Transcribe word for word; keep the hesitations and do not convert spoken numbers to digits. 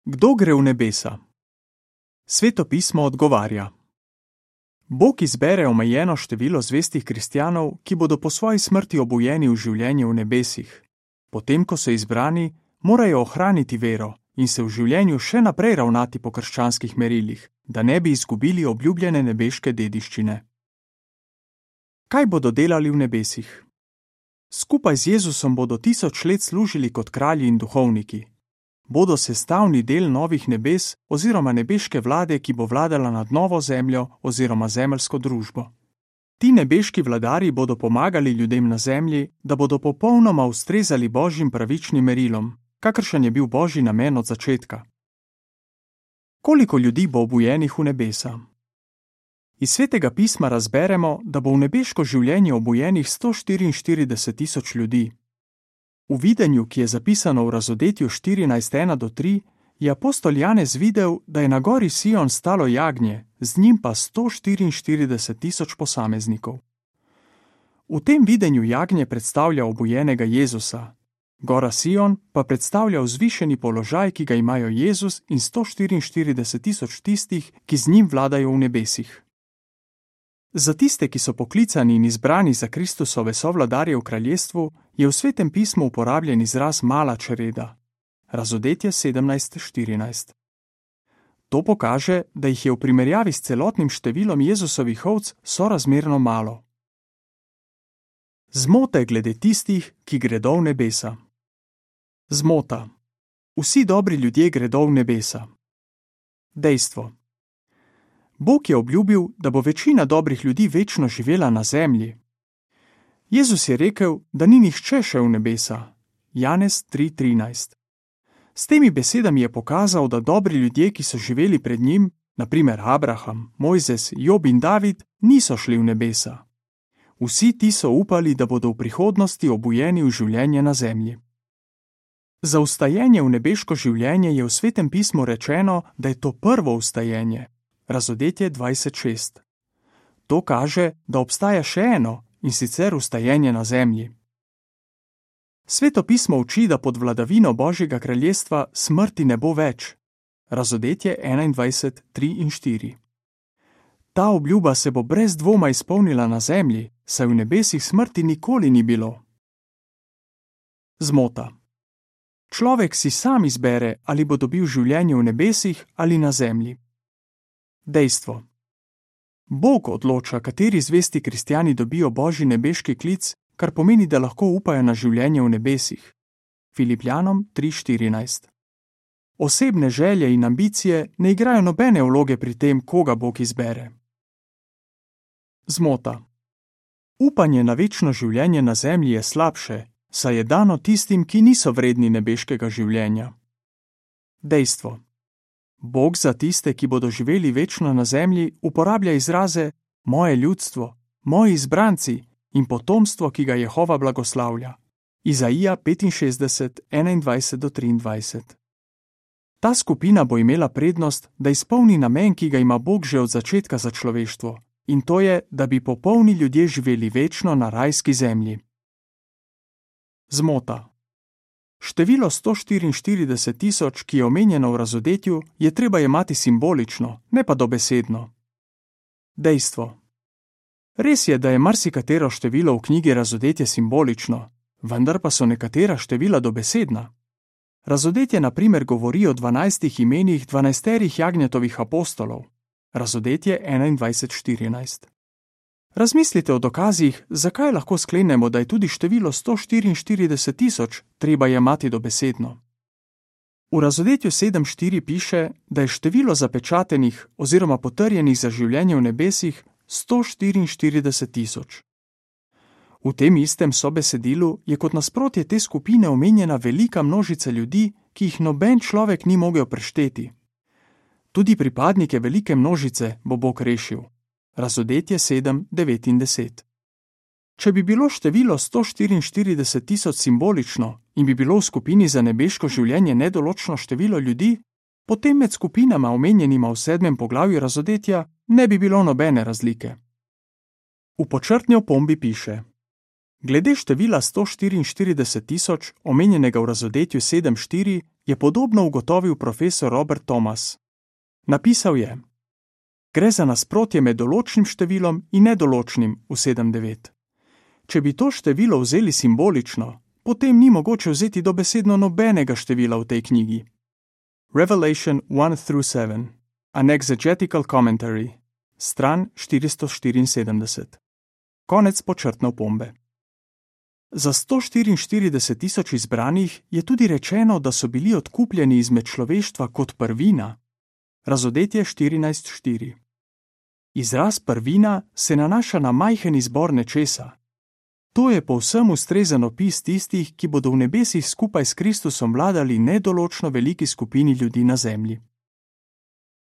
Kdo gre v nebesa? Sveto pismo odgovarja: Bog izbere omejeno število zvestih kristjanov, ki bodo po svoji smrti obujeni v življenje v nebesih. Potem, ko so izbrani, morajo ohraniti vero in se v življenju še naprej ravnati po krščanskih merilih, da ne bi izgubili obljubljene nebeške dediščine. Kaj bodo delali v nebesih? Skupaj z Jezusom bodo tisoč let služili kot kralji in duhovniki. Bodo sestavni del novih nebes oziroma nebeške vlade, ki bo vladala nad novo zemljo oziroma zemeljsko družbo. Ti nebeški vladarji bodo pomagali ljudem na zemlji, da bodo popolnoma ustrezali božjim pravičnim merilom, kakršen je bil božji namen od začetka. Koliko ljudi bo obujenih v nebesa? Iz svetega pisma razberemo, da bo v nebeško življenje obujenih sto štiriinštirideset tisoč ljudi. V videnju, ki je zapisano v Razodetju štirinajst ena do tri, je apostol Janez videl, da je na gori Sion stalo jagnje, z njim pa sto štiriinštirideset tisoč posameznikov. V tem videnju jagnje predstavlja obujenega Jezusa, gora Sion pa predstavlja vzvišeni položaj, ki ga imajo Jezus in sto štiriinštirideset tisoč tistih, ki z njim vladajo v nebesih. Za tiste, ki so poklicani in izbrani za Kristusove sovladarje v kraljestvu, je v svetem pismu uporabljen izraz mala čreda. Razodetje sedemnajst štirinajst. To pokaže, da jih je v primerjavi s celotnim številom Jezusovih ovc sorazmerno malo. Zmote glede tistih, ki gredo v nebesa. Zmota. Vsi dobri ljudje gredo v nebesa. Dejstvo. Bog je obljubil, da bo večina dobrih ljudi večno živela na zemlji. Jezus je rekel, da ni nihče šel v nebesa. Janez tri trinajst. S temi besedami je pokazal, da dobri ljudje, ki so živeli pred njim, na primer Abraham, Mojzes, Job in David, niso šli v nebesa. Vsi ti so upali, da bodo v prihodnosti obujeni v življenje na zemlji. Za vstajenje v nebeško življenje je v svetem pismu rečeno, da je to prvo vstajenje. Razodetje dvajset šest. To kaže, da obstaja še eno, in sicer vstajenje na zemlji. Sveto pismo uči, da pod vladavino Božjega kraljestva smrti ne bo več. Razodetje enaindvajset tri in štiri. Ta obljuba se bo brez dvoma izpolnila na zemlji, saj v nebesih smrti nikoli ni bilo. Zmota. Človek si sam izbere, ali bo dobil življenje v nebesih ali na zemlji. Dejstvo. Bog odloča, kateri zvesti kristjani dobijo božji nebeški klic, kar pomeni, da lahko upajo na življenje v nebesih. Filipljanom tri štirinajst. Osebne želje in ambicije ne igrajo nobene vloge pri tem, koga Bog izbere. Zmota. Upanje na večno življenje na zemlji je slabše, saj je dano tistim, ki niso vredni nebeškega življenja. Dejstvo. Bog za tiste, ki bodo živeli večno na zemlji, uporablja izraze moje ljudstvo, moji izbranci in potomstvo, ki ga Jehova blagoslavlja. Izaija petinšestdeset enaindvajset do triindvajset. Ta skupina bo imela prednost, da izpolni namen, ki ga ima Bog že od začetka za človeštvo, in to je, da bi popolni ljudje živeli večno na rajski zemlji. Zmota. Število sto štiriinštirideset tisoč, ki je omenjeno v Razodetju, je treba jemati simbolično, ne pa dobesedno. Dejstvo. Res je, da je marsikatero število v knjigi Razodetje simbolično, vendar pa so nekatera števila dobesedna. Razodetje na primer govori o dvanajstih imenih dvanajsterih jagnjetovih apostolov. Razodetje enaindvajset štirinajst. Razmislite o dokazih, zakaj lahko sklenemo, da je tudi število sto štiriinštirideset tisoč treba jemati dobesedno. V Razodetju sedem štiri piše, da je število zapečatenih oziroma potrjenih za življenje v nebesih sto štiriinštirideset tisoč. V tem istem sobesedilu je kot nasprotje te skupine omenjena velika množica ljudi, ki jih noben človek ni mogel prešteti. Tudi pripadnike velike množice bo Bog rešil. Razodetje sedem devet in deset. Če bi bilo število sto štiriinštirideset tisoč simbolično in bi bilo v skupini za nebeško življenje nedoločno število ljudi, potem med skupinama omenjenima v sedmem poglavju Razodetja ne bi bilo nobene razlike. V počrtni opombi piše: Glede števila sto štiriinštirideset tisoč, omenjenega v Razodetju sedem štiri, je podobno ugotovil profesor Robert Thomas. Napisal je: Gre za nasprotje med določnim številom in nedoločnim v sedem devet. Če bi to število vzeli simbolično, potem ni mogoče vzeti dobesedno nobenega števila v tej knjigi. Revelation one through seven, an exegetical commentary, stran štiristo štiriinsedemdeset. Konec počrtne opombe. Za sto štiriinštirideset tisoč izbranih je tudi rečeno, da so bili odkupljeni izmed človeštva kot prvina. Razodetje štirinajst štiri. Izraz prvina se nanaša na majhen izbor nečesa. To je povsem ustrezen opis tistih, ki bodo v nebesih skupaj s Kristusom vladali nedoločno veliki skupini ljudi na zemlji.